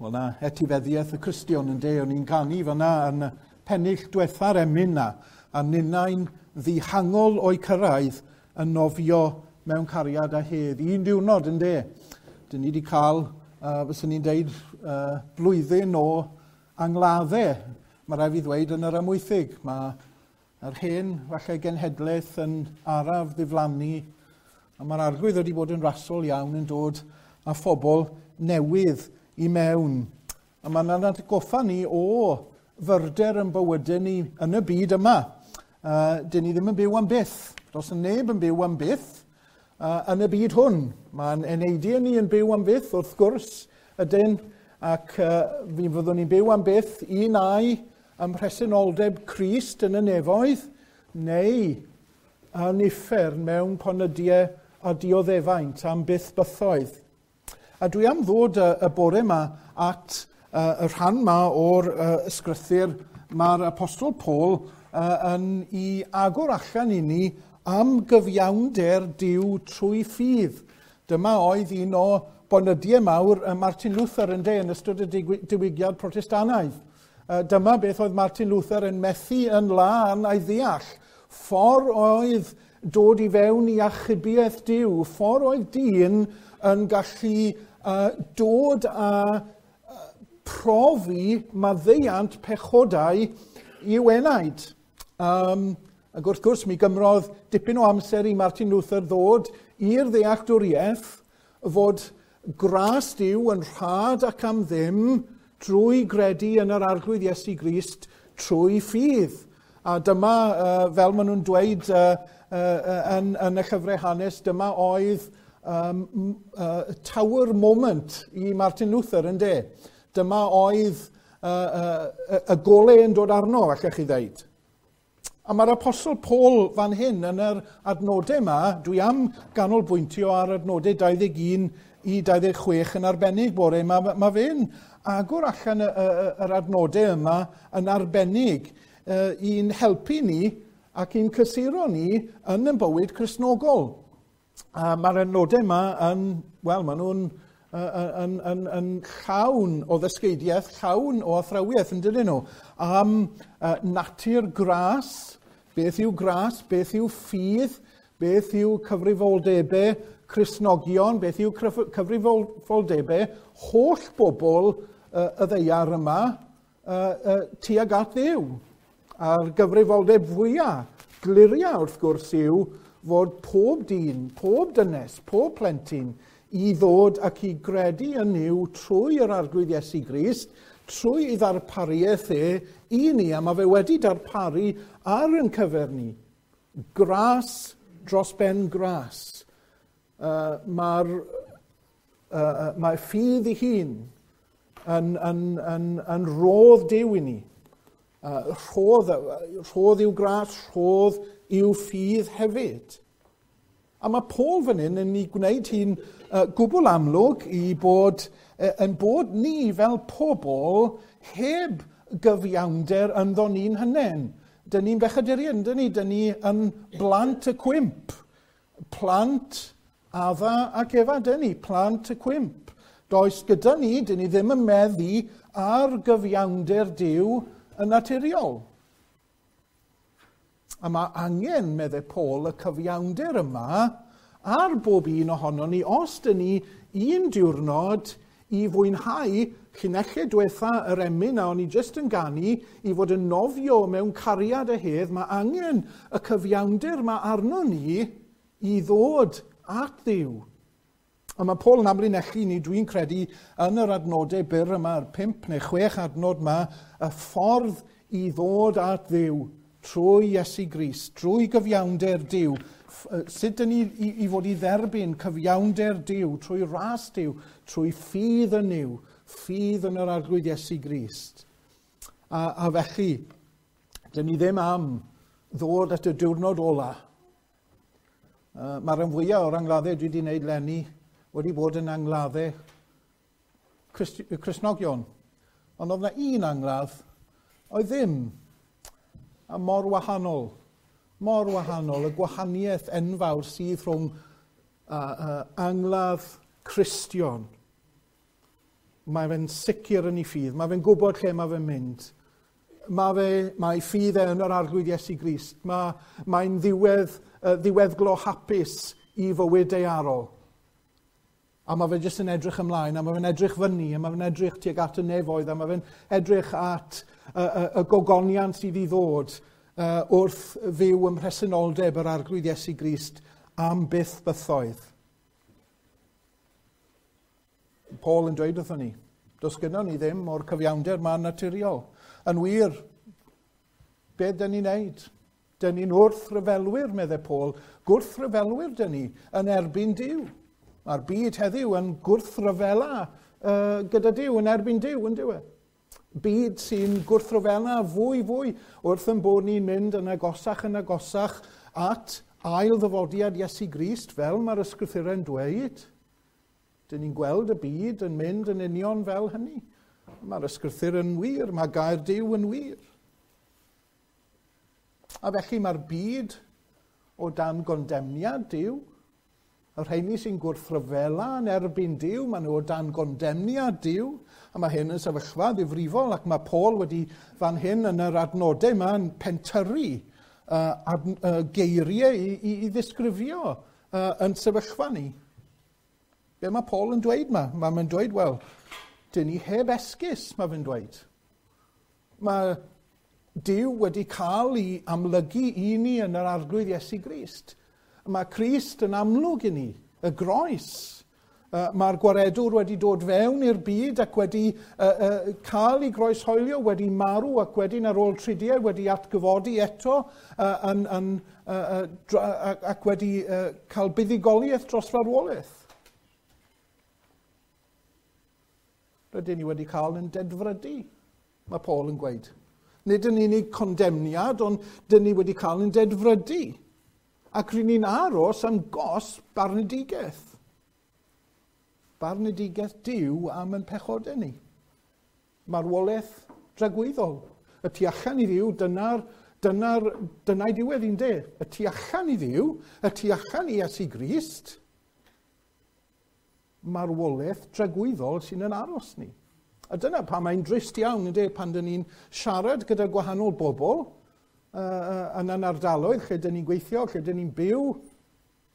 Wel na, etifeddiaeth y Cristion yn de, o'n i'n canu fyna yn pennill diwetha'r emyn na, a ninnau'n ddihangol o'i cyrraedd yn nofio mewn cariad a hedd. Un diwrnod yn de, dyn ni wedi cael, fyswn ni'n deud, blwyddyn o angladdau, mae rhaid fi ddweud, yn yr amwythig. Mae yr hen, falle, genhedlaeth yn araf ddiflannu, a mae'r arglwydd wedi bod yn rasol iawn yn dod â phobl newydd i mewn. A mae'n atgoffa ni o fyrder yn bywydau ni yn y byd yma. Dyn ni ddim yn byw am byth. Does neb yn byw am byth yn y byd hwn. Mae'n eneidiau ni yn byw am byth, wrth gwrs, ydyn, ac fi fyddwn ni'n byw am byth un ai ym mhresenoldeb Crist yn y nefoedd, neu yn uffern mewn ponydiau a dioddefaint am byth bythoedd. A dwi am ddod y, y bore yma at y rhan yma o'r ysgrythyr mae'r Apostol Paul yn i agor allan i ni am gyfiawnder Duw trwy ffydd. Dyma oedd un o bonydiau mawr Martin Luther yn de yn ystod y diwygiad Protestanaidd. Dyma beth oedd Martin Luther yn methu yn lân a'i ddeall. Ffordd oedd dod i fewn i achubiaeth Duw, ffordd oedd dyn yn gallu dod a profi maddeuant pechodau i'w enaid. Ac wrth gwrs, mi gymrodd dipyn o amser i Martin Luther ddod i'r ddealltwriaeth fod gras Duw yn rhad ac am ddim drwy gredu yn yr Arglwydd Iesu Grist trwy ffydd. A dyma, fel maen nhw'n dweud yn, yn y llyfrau hanes, dyma oedd tower moment i Martin Luther yn de. Dyma oedd y golau yn dod arno, allech chi ddeud. A mae'r Apostol Paul fan hyn yn yr adnodau yma, dwi am ganolbwyntio ar adnodau 21 i 26 yn arbennig bore. Mae, mae fe'n agor allan y, y, yr adnodau yma yn arbennig i'n helpu ni ac i'n cysuro ni yn ein bywyd Cristnogol. A mae'r adnodau yma yn, wel, maen nhw'n yn, yn, yn llawn o ddysgeidiaeth, llawn o athrawiaeth yn dydyn nhw, am natur gras, beth yw gras, beth yw ffydd, beth yw cyfrifoldebau Cristnogion, beth yw cyfrifoldebau holl bobl y ddeiar yma tuag at Dduw. A'r gyfrifoldeb fwyaf, gliria wrth gwrs yw fod pob dyn, pob dynes, pob plentyn i ddod ac i gredu yn Nuw trwy yr Arglwydd Iesu Grist, trwy ei ddarpariaeth e i ni, a mae fe wedi darparu ar yn cyfer ni. Gras dros ben gras. Mae'r mae ffydd ei hun yn, yn, yn, yn rodd Duw i ni. Rhodd, rhodd yw gras, rhodd yw ffydd hefyd. A mae Paul fan hyn yn ei gwneud hi'n gwbl amlwg i bod, yn bod ni fel pobl heb gyfiawnder ynddo ni'n hynen. Dyn ni'n bechaduriaid, dyn ni? Dyn ni yn blant y cwymp. Plant Adda ac Efa, dyn ni, plant y cwymp. Does gyda ni, dyn ni ddim yn meddu ar gyfiawnder Duw yn naturiol. A mae angen, meddai Paul, y cyfiawnder yma ar bob un ohono ni, os dyn ni un diwrnod i fwynhau llinellau diwetha yr emyn a o'n i jyst yn ganu i fod yn nofio mewn cariad a hedd, mae angen y cyfiawnder yma arno ni i ddod at Dduw. A mae Paul yn amlinellu ni, dwi'n credu, yn yr adnodau byr yma, yr 5 neu 6 adnod yma, y ffordd i ddod at Dduw trwy Iesu Grist, trwy gyfiawnder Duw. Sut dyn ni i, i fod i dderbyn cyfiawnder Duw trwy ras Duw, trwy ffydd yn Nuw, ffydd yn yr Arglwydd Iesu Grist. A, a felly, dyn ni ddim am ddod at y diwrnod ola. Mae'r rhan fwyaf o'r angladdau dwi wedi gwneud lenni wedi bod yn angladdau Cristnogion. Ond oedd yna un angladd oedd ddim. A mor wahanol, mor wahanol, y gwahaniaeth enfawr sydd rhwng angladd Cristion. Mae fe'n sicr yn ei ffydd, mae fe'n gwybod lle mae fe'n mynd. Mae ffydd e yn yr Arglwydd Iesu Grist. Mae'n ddiweddglo hapus i fywyd daearol. A mae fe jyst yn edrych ymlaen, a mae fe'n edrych fyny, a mae fe'n edrych tuag at y nefoedd, a mae fe'n edrych at y gogoniant sydd i ddod wrth fyw ym mhresenoldeb yr Arglwydd Iesu Grist am byth bythoedd. Paul yn dweud wrthon ni, does gynnon ni ddim o'r cyfiawnder ma'n naturiol. Yn wir, be dyn ni'n neud? Dyn ni'n wrthryfelwyr, meddai Paul. Gwrthryfelwyr dyn ni yn erbyn Duw. Mae'r byd heddiw yn gwrthryfela gyda Duw, yn erbyn Duw, yn dyw e. Byd sy'n gwrthryfela fwy fwy wrth yn bod ni'n mynd yn agosach at ail ddyfodiad Iesu Grist, fel mae'r ysgrythurau'n dweud. Dyn ni'n gweld y byd yn mynd yn union fel hynny. Mae'r ysgrythur yn wir, mae gair Duw yn wir. A felly mae'r byd o dan gondemniad Duw. Y rheini sy'n gwrthryfela yn erbyn Duw, maen nhw o dan gondemniad Duw. A mae hyn yn sefyllfa ddifrifol, ac mae Paul wedi fan hyn yn yr adnodau yma yn pentyrru geiriau i ddisgrifio yn sefyllfa ni. Be mae Paul yn dweud yma? Mae'n dweud, wel, dyn ni heb esgus, mae fe'n dweud. Mae Duw wedi cael ei amlygu i ni yn yr Arglwydd Iesu Grist. Mae Crist yn amlwg i ni, y groes. Mae'r gwaredwr wedi dod fewn i'r byd ac wedi cael ei groeshoelio, wedi marw ac wedyn ar ôl tridiau wedi atgyfodi eto ac wedi cael buddugoliaeth dros farwolaeth. Rydyn ni wedi cael yn dedfrydu, mae Paul yn gweud. Nid yn unig condemniad, ond dyn ni wedi cael yn dedfrydu. Ac rydyn ni'n aros am gosb barnedigaeth. Barnedigaeth Duw am yn pechodau ni. Marwolaeth dragwyddol. Y tu allan i Dduw, dyna'i diwedd i'n de. Y tu allan i Dduw, y tu allan i Iesu Grist, marwolaeth dragwyddol sy'n yn aros ni. A dyna pa mae'n drist iawn, ynddo, pan dyn ni'n siarad gyda gwahanol bobl yn yn ardaloedd lle dyn ni'n gweithio, lle dyn ni'n byw,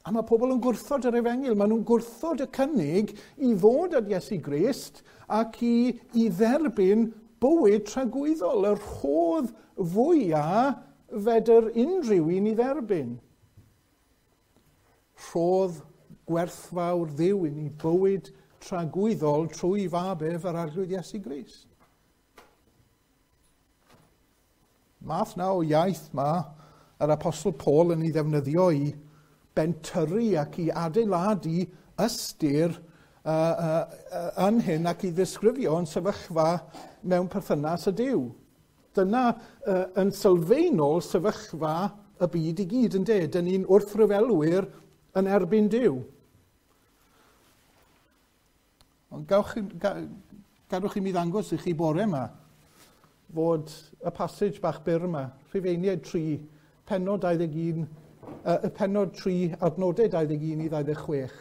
a mae pobl yn gwrthod yr efengyl. Maen nhw'n gwrthod y cynnig i ddod at Iesu Grist ac i dderbyn bywyd tragwyddol, y rhodd fwyaf fedr unrhyw un i dderbyn. Rhodd gwerthfawr Dduw i ni bywyd tragwyddol trwy fab ef yr Arglwydd Iesu Grist. Math na o iaith ma yr Apostol Paul yn ei ddefnyddio i bentyrru ac i adeiladu ystyr yn hyn ac i ddisgrifio yn sefyllfa mewn perthynas â Duw. Dyna yn sylfaenol sefyllfa y byd i gyd, ynde? Dyn ni'n wrthryfelwyr yn erbyn Duw. Ond gadwch i mi ddangos i chi bore yma fod y passage bach byr yma, Rhufeiniaid 3, pennod 21, y pennod 3, adnodau 21 i 26.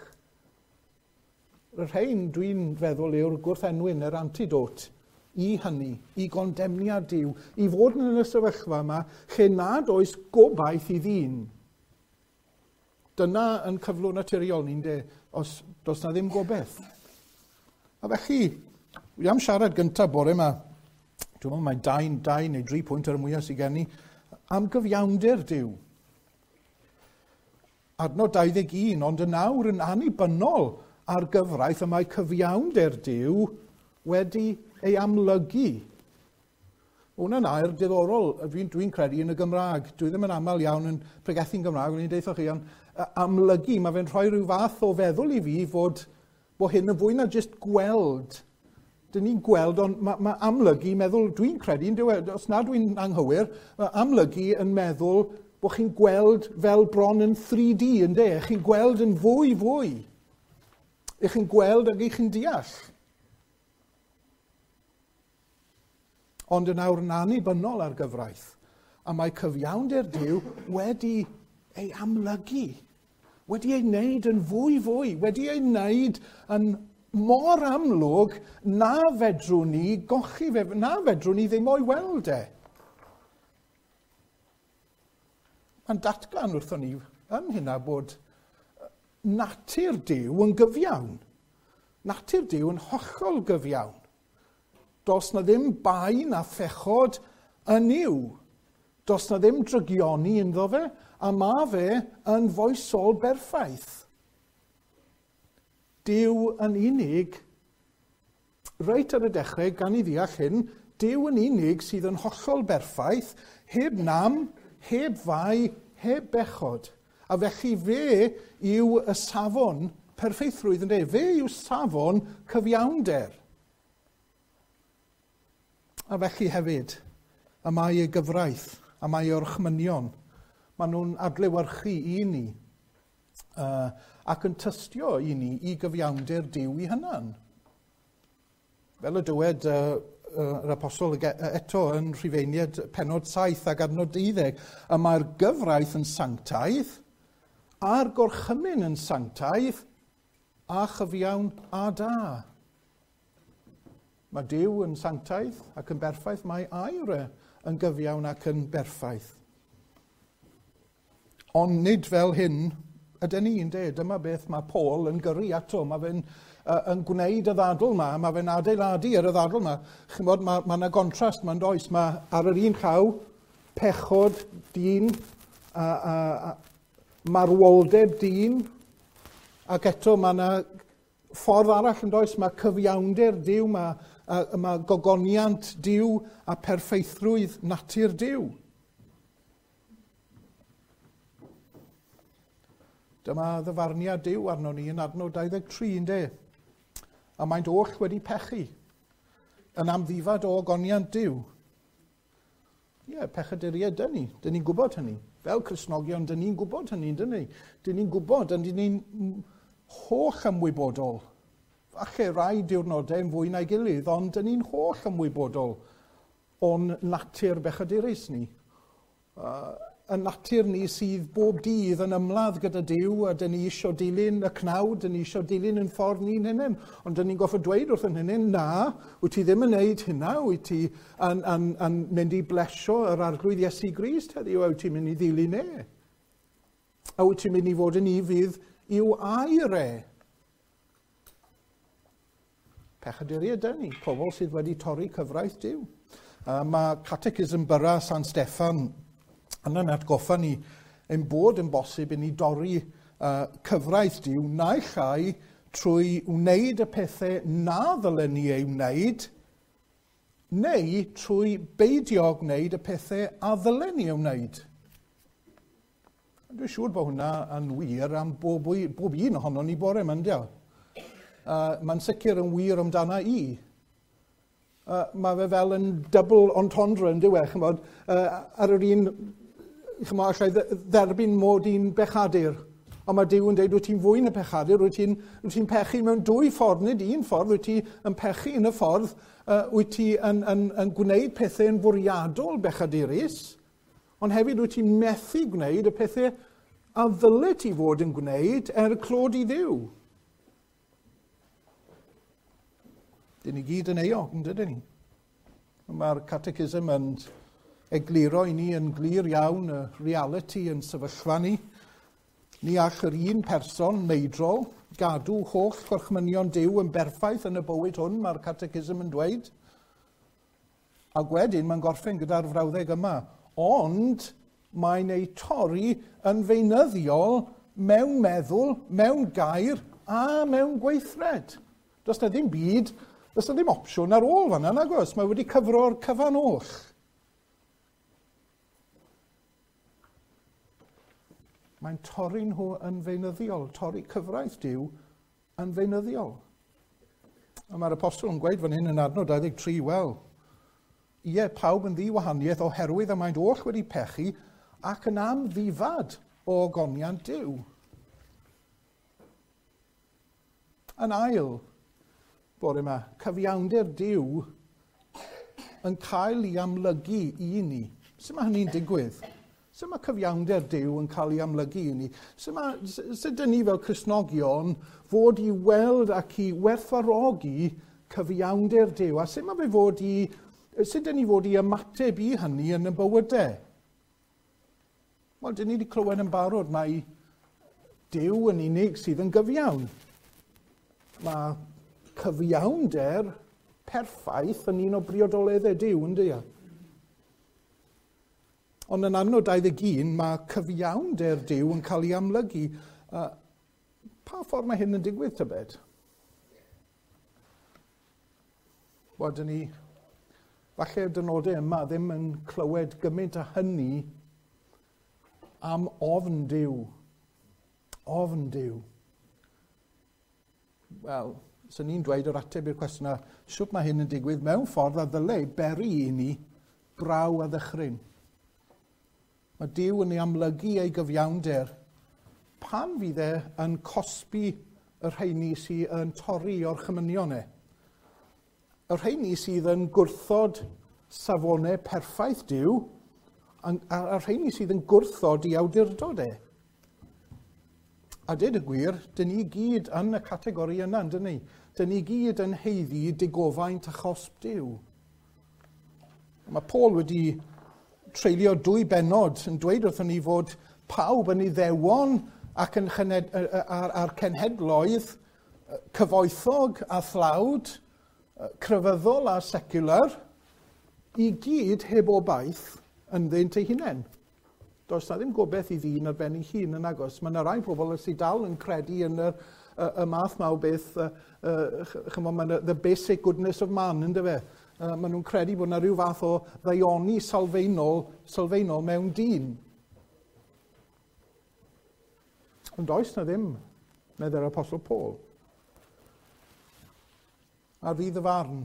Y rhain dwi'n feddwl yw'r gwrthenwyn, yr antidote i hynny, i gondemniad Duw, i fod yn y sefyllfa yma lle nad oes gobaith i ddyn. Dyna yn cyflwr naturiol ni'n de, os does na ddim gobaith. A felly, wi am siarad gyntaf bore yma, dwi'n meddwl mae 2 neu 3 pwynt ar y mwyaf sydd gen i, am gyfiawnder Duw. Adnod 21, ond yn awr yn annibynnol ar gyfraith y mae cyfiawnder Duw wedi ei amlygu. Hwna'n air diddorol, dwi'n credu yn y Gymraeg. Dwi ddim yn aml iawn yn pregethu'n Gymraeg, ond i'n deutha chi, ond amlygu, mae fe'n rhoi rhyw fath o feddwl i fi fod bod hyn yn fwy na jyst gweld. Dyn ni'n gweld, ond mae amlygu meddwl, dwi'n credu, os na dwi'n anghywir, mae amlygu yn meddwl bod chi'n gweld fel bron yn 3D, ynde? Chi'n gweld yn fwy fwy. Ych chi'n gweld ac ych chi'n deall. Ond yn awr yn annibynnol ar gyfraith, a mae cyfiawnder Duw wedi ei amlygu, wedi ei wneud yn fwy fwy, wedi ei wneud yn mor amlwg na fedrwn ni gochi fe, na fedrwn ni ddim o'i weld e. Mae'n datgan wrthon ni yn hynna bod natur Duw yn gyfiawn. Natur Duw yn hollol gyfiawn. Does na ddim bai na phechod yn Nuw. Does na ddim drygioni ynddo fe, a mae fe yn foesol berffaith. Duw yn unig, reit ar y dechrau, gan i ddeall hyn, Duw yn unig sydd yn hollol berffaith, heb nam, heb fai, heb bechod. A felly fe yw y safon perffeithrwydd yn dweud. Fe yw safon cyfiawnder. A felly hefyd, y mae ei gyfraith, a mae ei orchmynion, maen nhw'n adlewyrchu i ni ac yn tystio i ni i gyfiawnder Duw i hunan. Fel y dywed yr apostol eto yn Rhufeiniaid pennod 7 ac adnod 12, y mae'r gyfraith yn sanctaidd, a'r gorchymyn yn sanctaidd, a chyfiawn a da. Mae Duw yn sanctaidd ac yn berffaith, mae air e yn gyfiawn ac yn berffaith. Ond nid fel hyn ydyn ni'n dweud. Dyma beth mae Paul yn gyrru ato. Mae fe'n yn gwneud y ddadl yma, mae fe'n adeiladu ar y ddadl yma. Chimod, mae yna gontrast, mae'n does. Mae ar yr un llaw pechod dyn, a marwoldeb dyn, ac eto mae yna ffordd arall yn does, mae cyfiawnder Duw, mae gogoniant Duw a perffeithrwydd natur Duw. Dyma ddyfarniad Duw arno ni yn adnod 23, ynde? A maent oll wedi pechu yn amddifad o ogoniant Duw. Ie, pechaduriaid dyn ni. Dyn ni'n gwybod hynny. Fel Cristnogion, dyn ni'n gwybod hynny, dyn ni. Dyn ni'n gwybod, dyn ni'n holl ymwybodol. Falle rai diwrnodau yn fwy na'i gilydd, ond dyn ni'n holl ymwybodol o'n natur bechadurus ni. Y natur ni sydd bob dydd yn ymladd gyda Duw, a dyn ni isio dilyn y cnawd, dyn ni isio dilyn yn ffordd ni'n hunain. Ond dyn ni'n gorfod dweud wrth yn hunain, na, wyt ti ddim yn neud hynna, wyt ti yn mynd i blesio yr Arglwydd Iesu Grist heddiw, a wyt ti'n mynd i ddilyn e? A wyt ti'n mynd i fod yn ufudd i'w air e? Pechaduriaid dyn ni, pobl sydd wedi torri cyfraith Duw. Mae Catechism Byra San Steffan yn atgoffa ni ein bod yn bosib i ni dorri cyfraith Duw naill ai trwy wneud y pethau na ddylen ni ei wneud, neu trwy beidio gwneud y pethau a ddylen ni ei wneud. Dwi'n siŵr bod hwnna yn wir am bob un ohono ni bore yma, yndio? Mae'n sicr yn wir amdana i. Mae fe fel yn double entendre yn diwedd, chymod, ar yr un, chymod, allai dderbyn mod i'n bechadur. Ond mae Duw yn dweud, wyt ti'n fwy na pechadur, wyt ti'n pechu mewn dwy ffordd, nid un ffordd, wyt ti yn pechu yn y ffordd, wyt ti yn gwneud pethau yn fwriadol bechadurus, ond hefyd wyt ti'n methu gwneud y pethau a ddyle ti fod yn gwneud er clod i Dduw. Dyn ni gyd yn euog, yn dydyn ni? Mae'r catechism yn egluro i ni yn glir iawn y reality yn sefyllfa ni. Ni all yr un person meidrol gadw holl gorchmynion Duw yn berffaith yn y bywyd hwn, mae'r catechism yn dweud. Ac wedyn mae'n gorffen gyda'r frawddeg yma. Ond mae'n ei torri yn feunyddiol mewn meddwl, mewn gair a mewn gweithred. Does na ddim byd, does na ddim opsiwn ar ôl fan'na, nag oes? Mae wedi cyfro'r cyfan oll. Mae'n torri nhw yn feunyddiol, torri cyfraith Duw yn feunyddiol. A mae'r apostol yn gweud fan hyn yn adnod 23, wel, ie, pawb yn ddiwahaniaeth oherwydd y maent oll wedi pechu ac yn amddifad o ogoniant Duw. Yn ail, bore yma, cyfiawnder Duw yn cael ei amlygu i ni. Sut mae hynny'n digwydd? Sut mae cyfiawnder Duw yn cael ei amlygu i ni? Sut, mae, sut dyn ni fel Cristnogion fod i weld ac i werthfawrogi cyfiawnder Duw? A sut mae fe fod i, sut dyn ni fod i ymateb i hynny yn y bywydau? Wel, dyn ni wedi clywed yn barod mai Duw yn unig sydd yn gyfiawn. Mae cyfiawnder perffaith yn un o briodoleddau Duw, yn dydy? Ond yn adnod 21, mae cyfiawnder Duw yn cael ei amlygu. Pa ffordd mae hyn yn digwydd, tybed? Wel, dyn ni, falle'r dynodau yma ddim yn clywed gymaint â hynny am ofn Duw. Ofn Duw. Wel, sy'n ni'n dweud yr ateb i'r cwestiwn yna, sut mae hyn yn digwydd mewn ffordd a ddylai beri i ni braw a ddychryn. Mae Duw yn ei amlygu ei gyfiawnder pan fydd e yn cosbi y rheini sydd yn torri orchymynion e. Y rheini sydd yn gwrthod safonau perffaith Duw, a'r rheini sydd yn gwrthod i awdurdod e. A dweud y gwir, dyn ni gyd yn y categori yna, dyn ni? Dyn ni gyd yn haeddu digofaint a chosb Duw. Mae Paul wedi treulio 2 bennod yn dweud wrthon ni fod pawb yn Iddewon ac yn a'r cenhedloedd cyfoethog a thlawd, crefyddol a secular, i gyd heb obaith ynddynt eu hunain. Does na ddim gobaith i ddyn ar ben ei hun yn agos. Mae yna rai pobl sydd dal yn credu yn y math ma o beth, chymod, mae the basic goodness of man, ynddo fe? Maen nhw'n credu bod yna rhyw fath o ddaioni sylfaenol mewn dyn. Ond does na ddim, meddai'r Apostol Paul. Ar ddydd y farn,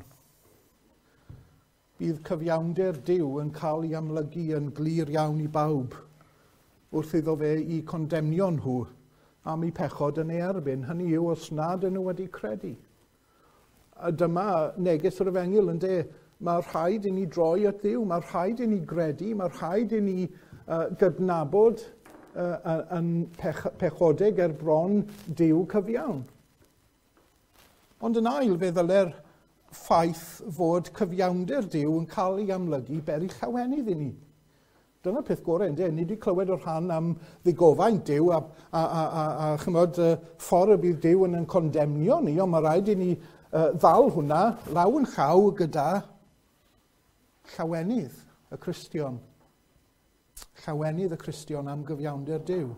bydd cyfiawnder Duw yn cael ei amlygu yn glir iawn i bawb wrth iddo fe i condemnio nhw am eu pechod yn ei erbyn. Hynny yw os nad ydyn nhw wedi credu. A dyma neges yr efengyl yn de, mae rhaid i ni droi at Dduw, mae rhaid i ni gredu, mae rhaid i ni gydnabod yn pechodeg er bron Duw cyfiawn. Ond yn ail, fe ddyle'r ffaith fod cyfiawnder Duw yn cael ei amlygu beri llawenydd i ni. Dyna'r peth gorau, ynde? Ni wedi clywed o'r rhan am ddigofaint Duw a chymod, ffordd y bydd Duw yn condemnio ni, ond mae rhaid i ni ddal hwnna law yn llaw gyda llawenydd y Cristion. Llawenydd y Cristion am gyfiawnder Duw.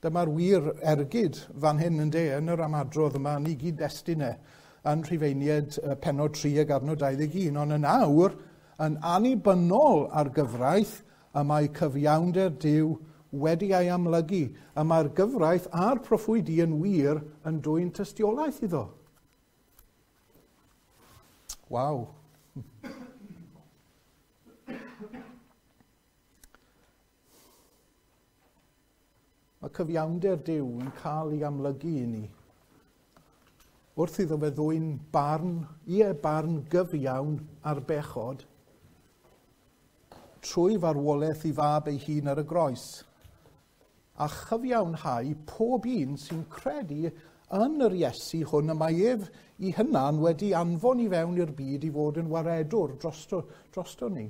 Dyma'r wir ergyd fan hyn yn de, yn yr ymadrodd yma, ni gyd-destun e, yn Rhufeiniaid pennod 3 ag adnod 21, ond yn awr, yn annibynnol ar gyfraith, y mae cyfiawnder Duw wedi ei amlygu, y mae'r gyfraith a'r proffwydi yn wir yn dwyn tystiolaeth iddo. Waw. Mae cyfiawnder Duw yn cael ei amlygu i ni. Wrth iddo fe ddwyn barn, ie barn gyfiawn ar bechod, trwy farwolaeth i fab ei hun ar y groes, a chyfiawnhau pob un sy'n credu yn yr Iesu hwn y mae ef i hunan wedi anfon i fewn i'r byd i fod yn waredwr drosto ni.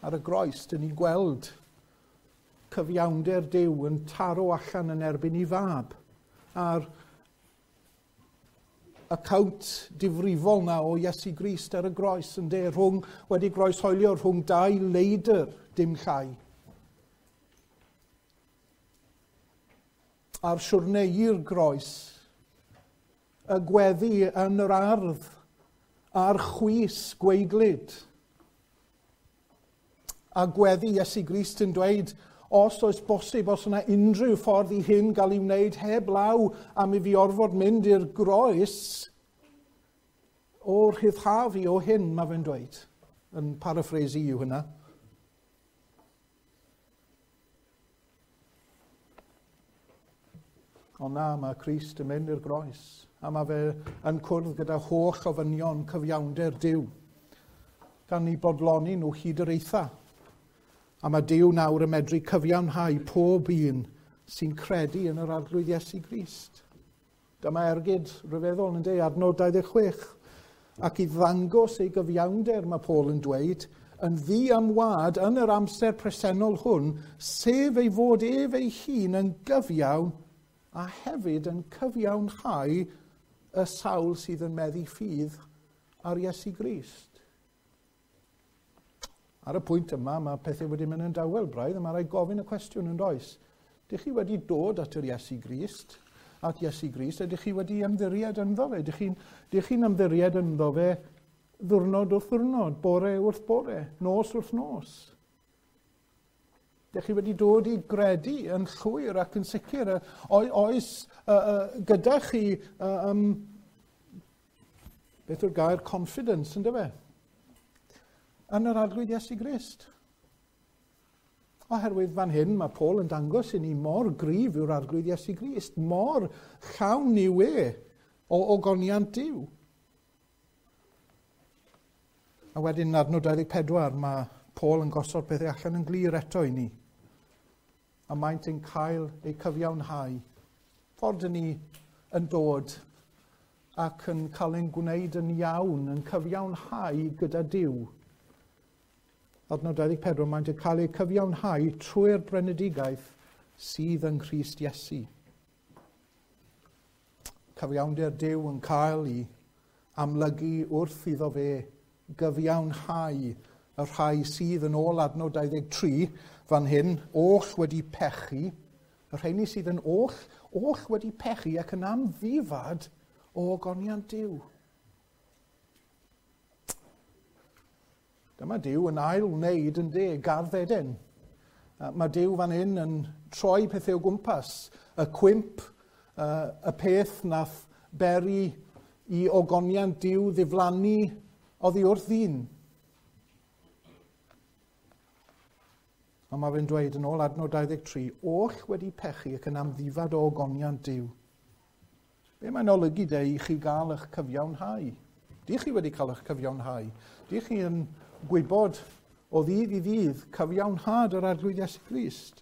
Ar y groes, dyn ni'n gweld cyfiawnder Duw yn taro allan yn erbyn ei fab. A'r account difrifol na o Iesu Grist ar y groes yn de, wedi groeshoelio rhwng dau leidr, dim llai. A'r siwrne i'r groes, y gweddi yn yr ardd, a'r chwys gwaedlyd. A gweddi Iesu Grist yn dweud, os oes bosib, os yna unrhyw ffordd i hyn gael ei wneud heb law am i fi orfod mynd i'r groes, o'r rhyddha fi o hyn, mae fe'n dweud. Yn paraphrase yw hynna. Ond na, mae Crist yn mynd i'r groes, a mae fe yn cwrdd gyda holl ofynion cyfiawnder Duw. gan eu bodloni nhw hyd yr eitha. A mae Duw nawr yn medru cyfiawnhau pob un sy'n credu yn yr Arglwydd Iesu Grist. Dyma ergyd rhyfeddol yn dweud, adnod 26. Ac i ddangos ei gyfiawnder, mae Paul yn dweud, yn ddi am wad yn yr amser presennol hwn, sef ei fod ef ei hun yn gyfiawn a hefyd yn cyfiawnhau y sawl sydd yn meddu ffydd ar Iesu Grist. Ar y pwynt yma, mae pethau wedi mynd yn dawel braidd, a mae rhaid gofyn y cwestiwn yn does. Dych chi wedi dod at yr Iesu Grist, at Iesu Grist, ydych chi wedi ymddiried ynddo fe? Dych chi'n chi ymddiried ynddo fe ddwrnod wrth ddwrnod, bore wrth bore, nos wrth nos? Dych chi wedi dod i gredu yn llwyr ac yn sicr. Oes gyda chi, beth yw'r gair, confidence, ynddo fe? Yn yr Arglwydd Iesu Grist. Oherwydd fan hyn mae Paul yn dangos i ni mor gryf yw'r Arglwydd Iesu Grist, mor llawn yw e o ogoniant Duw. A wedyn yn adnod 24 mae Paul yn gosod pethau allan yn glir eto i ni. A maent yn cael eu cyfiawnhau. Ffordd ni yn dod ac yn cael ein gwneud yn iawn, yn cyfiawnhau gyda Duw. Adnod 24, maent yn cael eu cyfiawnhau trwy'r brynedigaeth sydd yng Nghrist Iesu. Cyfiawnder Duw yn cael ei amlygu wrth iddo fe gyfiawnhau y rhai sydd yn ôl adnod 23 fan hyn, oll wedi pechu, y rheini sydd yn oll wedi pechu ac yn amddifad o ogoniant Duw. Dyma Duw yn ail wneud yn de, gardd Eden. Mae Duw fan hyn yn troi pethau o gwmpas. Y cwymp, y peth nath beri i ogoniant Duw ddiflannu oddi wrth ddyn. Ond mae fe'n dweud yn ôl adnod 23, oll wedi pechu ac yn amddifad o ogoniant Duw. Be mae'n olygu de i chi gael eich cyfiawnhau? Dych chi wedi cael eich cyfiawnhau? Dych chi yn gwybod o ddydd i ddydd cyfiawnhad yr Arglwydd Iesu Grist?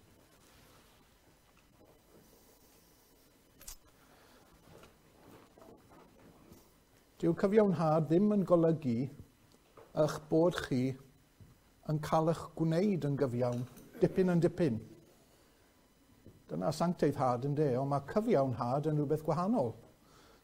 Dyw cyfiawnhad ddim yn golygu eich bod chi yn cael eich gwneud yn gyfiawn, dipyn yn dipyn. Dyna sancteiddhad yn de, ond mae cyfiawnhad yn rhywbeth gwahanol.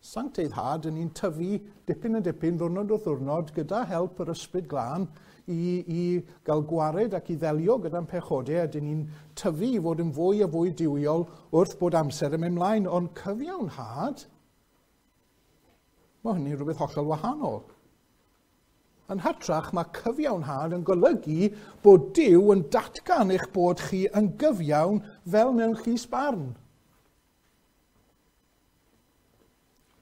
Sancteiddhad yn ni'n tyfu dipyn yn dipyn, ddwrnod wrth ddwrnod, gyda help yr Ysbryd Glân i gael gwared ac i ddelio gyda'n pechodau, a dyn ni'n tyfu i fod yn fwy a fwy duwiol wrth bod amser yn mynd mlaen. Ond cyfiawnhad, mae hynny'n rhywbeth hollol wahanol. Yn hytrach, mae cyfiawnhad yn golygu bod Duw yn datgan eich bod chi yn gyfiawn fel mewn llys barn.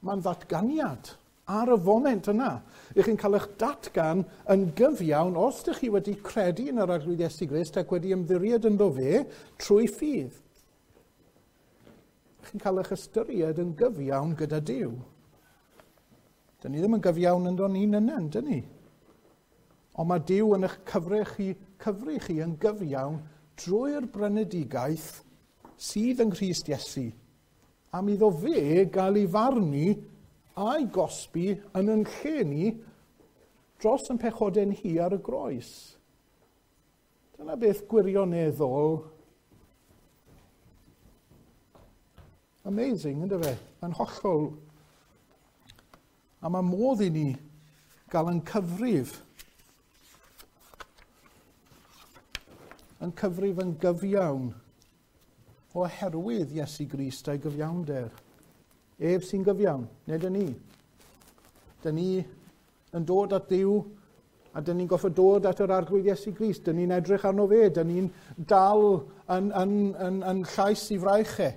Mae'n ddatganiad ar y foment yna. Ych chi'n cael eich datgan yn gyfiawn os ydych chi wedi credu yn yr Arglwydd Iesu Grist ac wedi ymddiried ynddo fe trwy ffydd. Ych chi'n cael eich ystyried yn gyfiawn gyda Duw. Dyn ni ddim yn gyfiawn ynddo ni'n yna, dyn ni? Ond mae Duw yn eich cyfri chi yn gyfiawn drwy'r brynedigaeth sydd yng Nghrist Iesu. Am iddo fe gael ei farnu a'i gosbi yn yn lle ni dros yn pechodau'n hi ar y groes. Dyna beth gwirioneddol amazing, ynddo fe? Mae'n hollol. A mae modd i ni gael yn cyfrif yn gyfiawn oherwydd Iesu Grist a'i gyfiawnder. Ef sy'n gyfiawn, nid y ni. Dyn ni yn dod at Dduw a dyn ni'n gorfod dod at yr Arglwydd Iesu Grist. Dyn ni'n edrych arno fe, dyn ni'n dal yn llais i fraich e.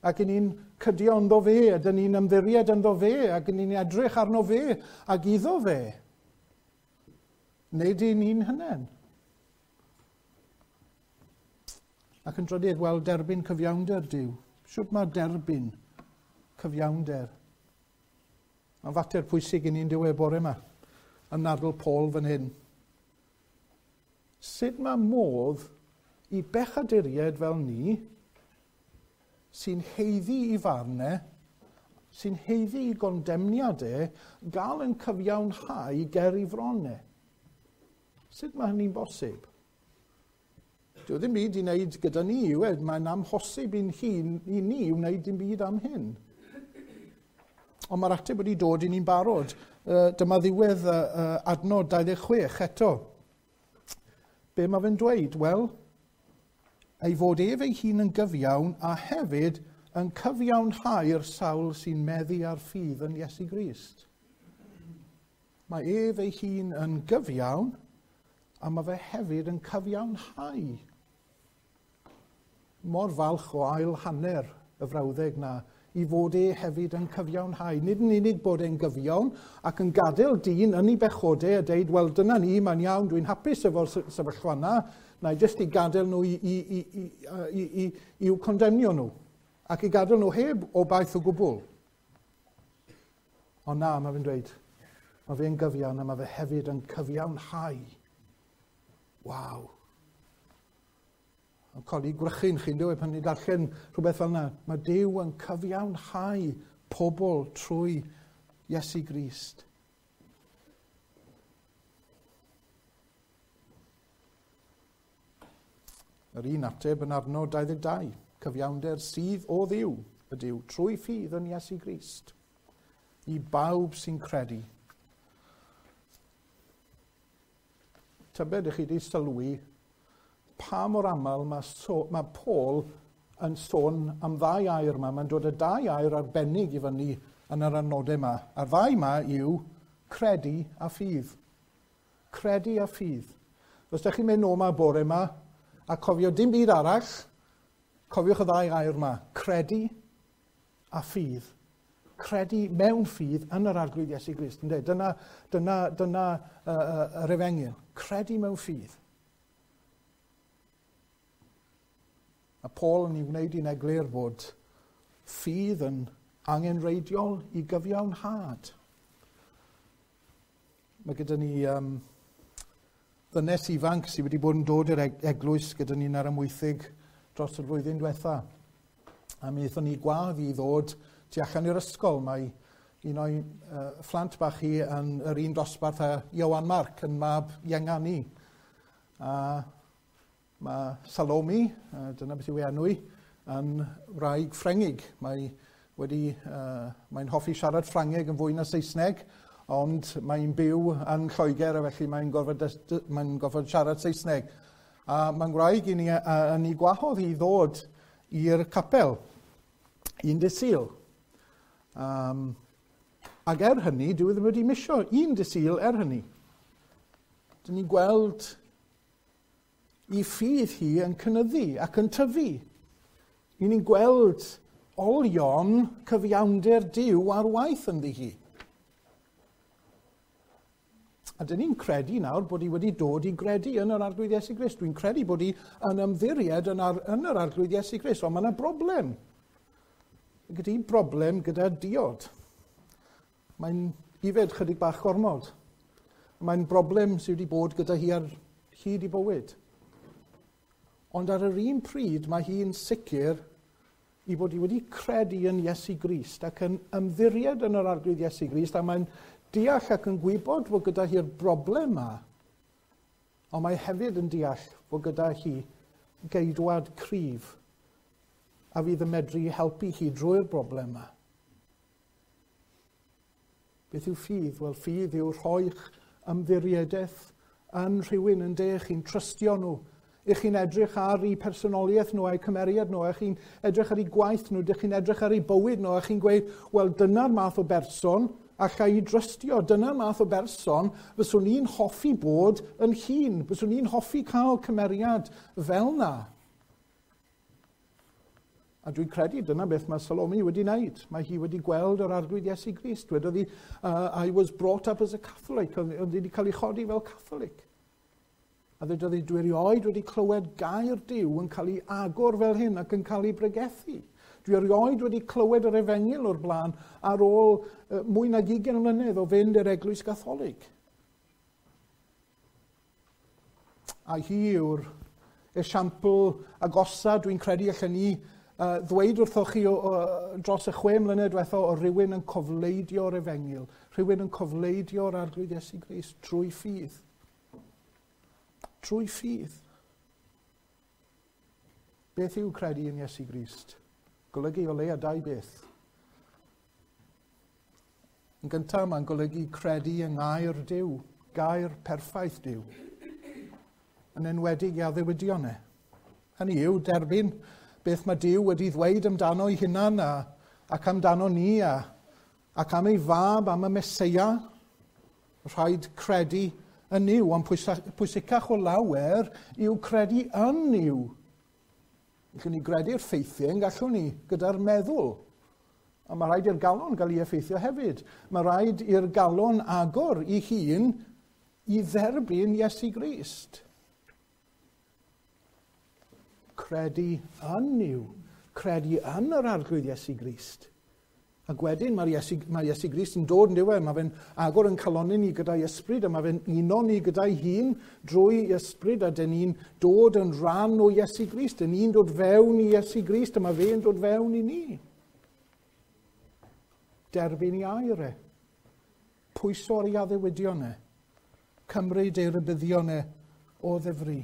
Ac ni'n cydio ynddo fe, a dyn ni'n ymddiried ynddo fe, ac ni'n edrych arno fe, ac iddo fe. Nid i ni'n hynen. Ac yn drydydd, wel, derbyn cyfiawnder Duw. Shwt mae derbyn cyfiawnder? Mae'n fater pwysig i ni'n diwedd bore yma, yn nadl Paul fan hyn. Sut mae modd i bechaduriaid fel ni, sy'n haeddu i farn e, sy'n haeddu i gondemniad e, gael yn cyfiawnhau ger ei fron e? Sut mae hynny'n bosib? Dyw e ddim byd i wneud gyda ni, yw e? Mae'n amhosib i'n hun, i ni wneud dim byd am hyn. Ond mae'r ateb wedi dod i ni'n barod. Dyma ddiwedd adnod 26 eto. Be mae fe'n dweud? Wel, ei fod ef ei hun yn gyfiawn a hefyd yn cyfiawnhau'r sawl sy'n meddu ar ffydd yn Iesu Grist. Mae ef ei hun yn gyfiawn a mae fe hefyd yn cyfiawnhau. Mor falch o ail hanner y frawddeg na i fod e hefyd yn cyfiawnhau. Nid yn unig bod e'n gyfiawn ac yn gadael dyn yn ei bechodau a deud, wel dyna ni, mae'n iawn, dwi'n hapus efo'r sefyllfa yna, na i jyst i gadael nhw i'w condemnio nhw ac i gadael nhw heb obaith o gwbl. Ond na, mae fe'n dweud, mae fe'n gyfiawn a mae fe hefyd yn cyfiawnhau. Waw. Yn codi gwrychyn chi'n dweud pan ni'n darllen rhywbeth fel yna. Mae Duw yn cyfiawnhau pobl trwy Iesu Grist. Yr un ateb yn adnod 22. Cyfiawnder sydd o Dduw ydyw trwy ffydd yn Iesu Grist. I bawb sy'n credu. Tybed ych chi wedi sylwi pa mor aml mae Paul yn sôn am ddau air yma. Mae'n dod y dau air arbennig i fyny yn yr adnodau yma. A'r ddau yma yw credu a ffydd. Credu a ffydd. Os ydych chi'n mynd nôl yma bore yma a cofio dim byd arall, cofiwch y ddau air yma. Credu a ffydd. Credu mewn ffydd yn yr Arglwydd Iesu Grist. Ynde? Dyna yr efengyl. Credu mewn ffydd. A Paul yn ei wneud i'n eglur bod ffydd yn angenreidiol i gyfiawnhad. Mae gyda ni ddynes ifanc sydd wedi bod yn dod i'r eglwys gyda ni'n ar Amwythig dros y flwyddyn diwetha. A mi aethon ni gwadd i ddod tu allan i'r ysgol. Mae un o'i phlant bach hi yn yr un dosbarth â Iowan Marc yn mab ienga ni. A mae Salome, dyna beth yw ei enw i, yn wraig Ffrengig. Mae'n hoffi siarad Ffrangeg yn fwy na Saesneg, ond mae'n byw yn Lloegr a felly mae'n gorfod siarad Saesneg. A mae'n gwraig i ni, yn ei gwahodd i ddod i'r capel, un dydd Sul. Ac er hynny, dyw e ddim wedi misio un dydd Sul er hynny. Dyn ni'n gweld i ffydd hi yn cynyddu ac yn tyfu. I ni'n gweld olion cyfiawnder Duw ar waith ynddi hi. A dyn ni'n credu nawr bod hi wedi dod i gredu yn yr Arglwydd Iesu Grist. Dwi'n credu bod hi yn ymddiried yn yr Arglwydd Iesu Grist, ond mae yna broblem. Gyda hi broblem gyda diod. Mae'n ifed chydig bach gormod. Mae'n broblem sydd wedi bod gyda hi ar hyd i bywyd. Ond ar yr un pryd mae hi'n sicr i bod hi wedi credu yn Iesu Grist ac yn ymddiried yn yr Arglwydd Iesu Grist a mae'n deall ac yn gwybod fod gyda hi'r broblem yma, ond mae hefyd yn deall fod gyda hi geidwad cryf a fydd yn medru helpu hi drwy'r broblem yma. Beth yw ffydd? Wel, ffydd yw rhoi'ch ymddiriedaeth yn rhywun yn de, chi'n trystio nhw. Ych chi'n edrych ar eu personoliaeth nhw a'u cymeriad nhw, a chi'n edrych ar eu gwaith nhw, dych chi'n edrych ar eu bywyd nhw, a chi'n gweud, wel, dyna'r math o berson allai i drystio. Dyna'r math o berson fyswn i'n hoffi bod yn hun. Fyswn i'n hoffi cael cymeriad fel na. A dwi'n credu dyna beth mae Salome wedi wneud. Mae hi wedi gweld yr Arglwydd Iesu Grist. Wedodd hi, "I was brought up as a Catholic." Oedd hi wedi cael ei chodi fel Catholic. A dwedodd hi, "Dwi erioed wedi clywed gair Duw yn cael ei agor fel hyn ac yn cael ei bregethu. Dwi erioed wedi clywed yr efengyl o'r blaen ar ôl mwy nag 20 mlynedd o fynd i'r Eglwys Gatholig." A hi yw'r esiampl agosa dwi'n credu allan ni ddweud wrthoch chi dros y 6 mlynedd diwetha o rywun yn cofleidio'r efengyl, rhywun yn cofleidio'r Arglwydd Iesu Grist trwy ffydd. Trwy ffydd. Beth yw credu yn Iesu Grist? Golygu o leia dau beth. Yn gyntaf, mae'n golygu credu yng ngair Duw, gair perffaith Duw, yn enwedig i addewidion e. Hynny yw, derbyn beth mae Duw wedi ddweud amdano ei hunan ac amdano ni ac am ei fab, am y Meseia. Rhaid credu yn Nuw, ond pwysicach o lawer yw credu yn Nuw. Gallwn ni gredu'r ffeithiau yn gallwn ni gyda'r meddwl. A mae rhaid i'r galon gael ei effeithio hefyd. Mae rhaid i'r galon agor i hun i dderbyn Iesu Grist. Credu yn Nuw. Credu yn yr Arglwydd Iesu Grist. Ac wedyn mae Iesu Grist yn dod yn diwedd, mae fe'n agor yn calonau ni gyda'i ysbryd, a mae fe'n uno ni gyda'i hun drwy ysbryd, a dyn ni'n dod yn rhan o Iesu Grist, dyn ni'n dod fewn i Iesu Grist, a mae fe'n dod fewn i ni. Derbyn i air e. Pwyso ar ei addewidion e. Cymryd ei rybuddion e o ddifri.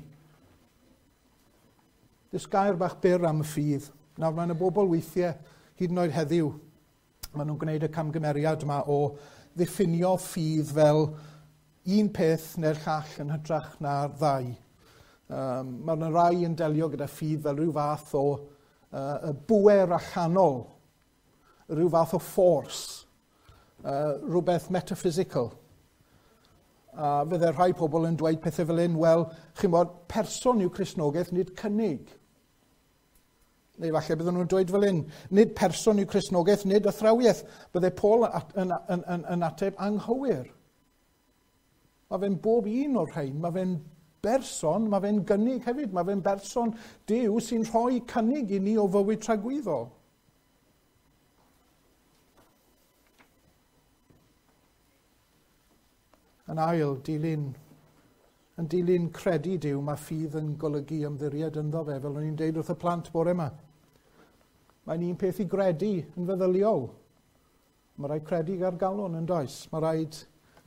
Dys gair bach byr am y ffydd. Nawr mae'n y bobl weithiau, hyd yn oed heddiw, maen nhw'n gwneud y camgymeriad yma o ddiffinio ffydd fel un peth neu'r llall yn hytrach na'r ddau. Mae yna rai yn delio gyda ffydd fel rhyw fath o y bŵer allanol, rhyw fath o force, rhywbeth metaphysical. A fydde rhai pobl yn dweud pethau fel hyn, wel, chi'n bod, person yw Cristnogaeth, nid cynnig. Neu falle bydden nhw'n dweud fel hyn, nid person yw Cristnogaeth, nid athrawiaeth. Bydde Paul yn ateb anghywir. Mae fe'n bob un o'r rhain, mae fe'n berson, mae fe'n gynnig hefyd, mae fe'n berson Duw sy'n rhoi cynnig i ni o fywyd tragwyddol. Yn ail, yn dilyn credu Duw, mae ffydd yn golygu ymddiried ynddo fe, fel o'n i'n deud wrth y plant bore yma. Mae'n un peth i gredu yn feddyliol. Mae rhaid credu ar galon yn does. Mae rhaid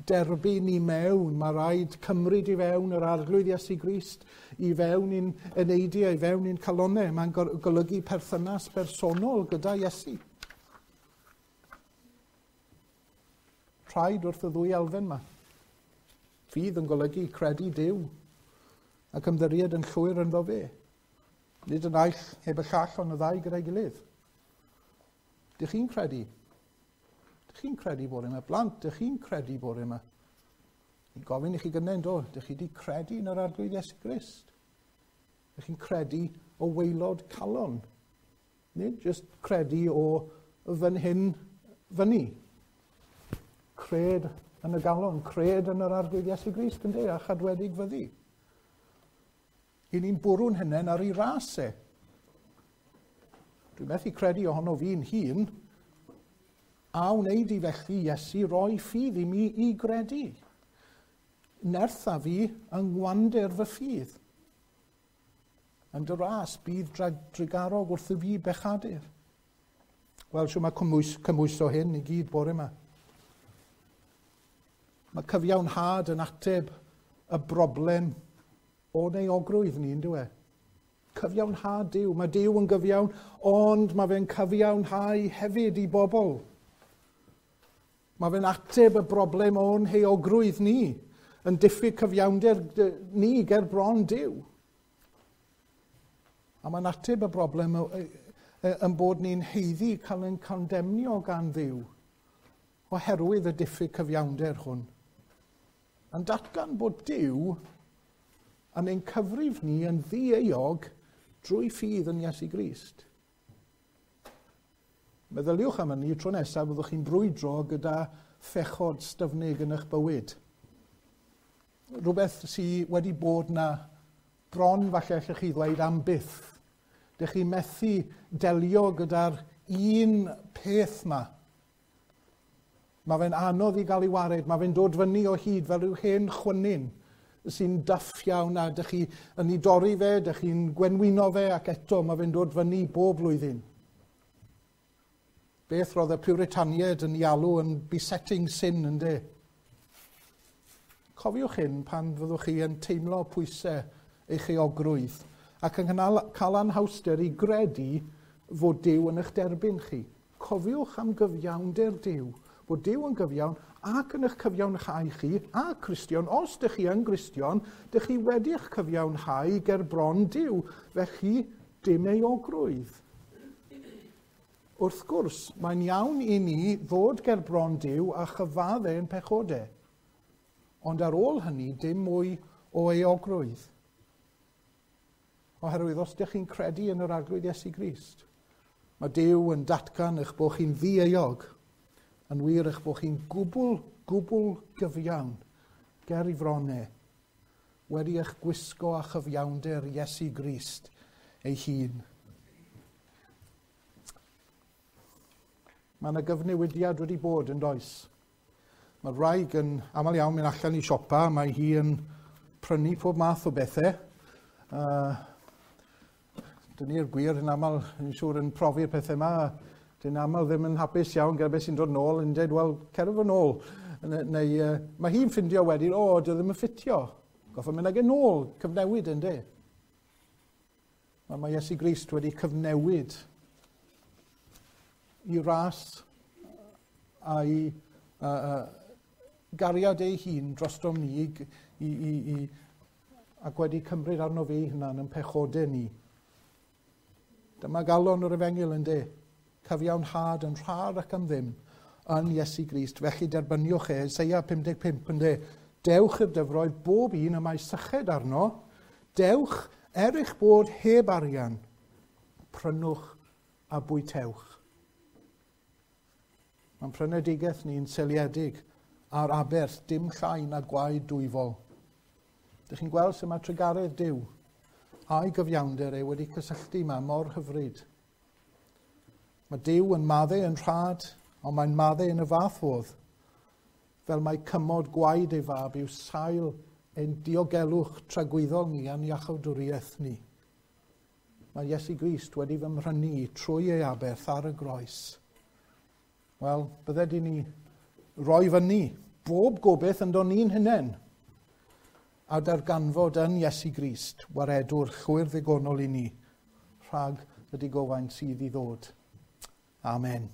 derbyn i mewn, mae rhaid cymryd i fewn yr Arglwydd Iesu Grist, i fewn i'n eneidiau, i fewn i'n calonau. Mae'n golygu perthynas bersonol gyda Iesu. Rhaid wrth y ddwy elfen yma. Ffydd yn golygu credu Duw ac ymddiried yn llwyr ynddo fe. Nid y naill heb y llall, ond y ddau gyda'i gilydd. Dych chi'n credu? Dych chi'n credu bore yma? Blant, dych chi'n credu bore yma? Ni'n gofyn i chi gynnau, do? Dych chi wedi credu yn yr Arglwydd Iesu Grist? Dych chi'n credu o waelod calon? Nid jyst credu o fan hyn fyny. Cred yn y galon, cred yn yr Arglwydd Iesu Grist, ynddi, a chadwedig fyddi. I ni'n bwrw'n hunain ar ei ras e. Dwi'n methu credu ohono fi'n hun, a wneud i felly Iesu roi ffydd i mi i gredu. Nertha fi yng ngwander fy ffydd. Yn dy ras bydd drugarog wrth y fi bechadur. Wel, siw mae cymhwyso hyn i gyd bore yma. Mae cyfiawnhad yn ateb y broblem o euogrwydd ni, yndyw e? Cyfiawnhad Duw. Mae Duw yn gyfiawn, ond mae fe'n cyfiawnhau hefyd i bobl. Mae fe'n ateb y broblem o'n heuogrwydd ni, yn diffyg cyfiawnder ni ger bron Duw. A mae'n ateb y broblem yn bod ni'n haeddu cael ein condemnio gan Dduw oherwydd y diffyg cyfiawnder hwn. Yn datgan bod Duw yn ein cyfrif ni yn ddieuog drwy ffydd yn Iesu Grist. Meddyliwch am hynny tro nesaf byddwch chi'n brwydro gyda phechod styfnig yn eich bywyd. Rhywbeth sydd wedi bod na bron falle allwch chi ddweud am byth. Dych chi methu delio gyda'r un peth yma. Mae fe'n anodd i gael ei wared, mae fe'n dod fyny o hyd fel rhyw hen chwynyn. sy'n duff iawn a dych chi yn ei dorri fe, dych chi'n gwenwyno fe ac eto mae fe'n dod fyny bob blwyddyn. Beth roedd y Puritaniaid yn ei alw yn besetting sin, yndê? Cofiwch hyn pan fyddwch chi yn teimlo pwysau eich euogrwydd ac yn cael anhawster i gredu fod Duw yn eich derbyn chi. Cofiwch am gyfiawnder Duw, bod Duw yn gyfiawn ac yn eich cyfiawnhau chi, a Cristion, os dych chi yn Gristion, dych chi wedi eich cyfiawnhau ger bron Duw, felly dim euogrwydd. Wrth gwrs, mae'n iawn i ni ddod ger bron Duw a chyfadde ein pechodau. Ond ar ôl hynny, dim mwy o euogrwydd. Oherwydd os ydych chi'n credu yn yr Arglwydd Iesu Grist, mae Duw yn datgan eich bod chi'n ddi-euog, yn wir eich bod chi'n gwbl, gwbl gyfiawn ger ei fron e, wedi eich gwisgo â chyfiawnder Iesu Grist ei hun. Mae yna gyfnewidiad wedi bod yn does. Mae'r wraig yn aml iawn mynd allan i siopa, mae hi yn prynu pob math o bethau. Dyn ni'r gwir yn aml, yn siŵr, yn profi'r pethau yma. Dyn aml ddim yn hapus iawn gyda beth sy'n dod nôl, yn dweud, "Wel, cer fo nôl." Neu mae hi'n ffindio wedyn, "O, dy ddim yn ffitio. Goffa mynd ag e nôl," cyfnewid yn de. Mae Iesu Grist wedi cyfnewid i ras a'i gariad ei hun drostom ni ac wedi cymryd arno fe ei hunan yn pechodau ni. Dyma galon yr efengyl yn de. Cyfiawnhad yn rhad ac am ddim yn Iesu Grist. Felly derbyniwch e, Eseia 55 yn de. Dewch i'r dyfroedd bob un y mae syched arno. Dewch er eich bod heb arian. Prynwch a bwytewch. Mae'n prynedigaeth ni'n seiliedig ar aberth dim llai na gwaed dwyfol. Dych chi'n gweld sut mae trugaredd Duw a'i gyfiawnder e wedi cysylltu yma mor hyfryd. Mae Duw yn maddau yn rhad, ond mae'n maddau yn y fath fodd, fel mae cymod gwaed ei fab yw sail ein diogelwch tragwyddol ni a'n iachawdwriaeth ni. Mae Iesu Grist wedi fy mhrynu trwy ei aberth ar y groes. Wel, bydded i ni roi fyny bob gobeith ynddo ni'n hunain a darganfod yn Iesu Grist waredwr llwyr ddigonol i ni rhag y digofaint sydd i ddod. Amen.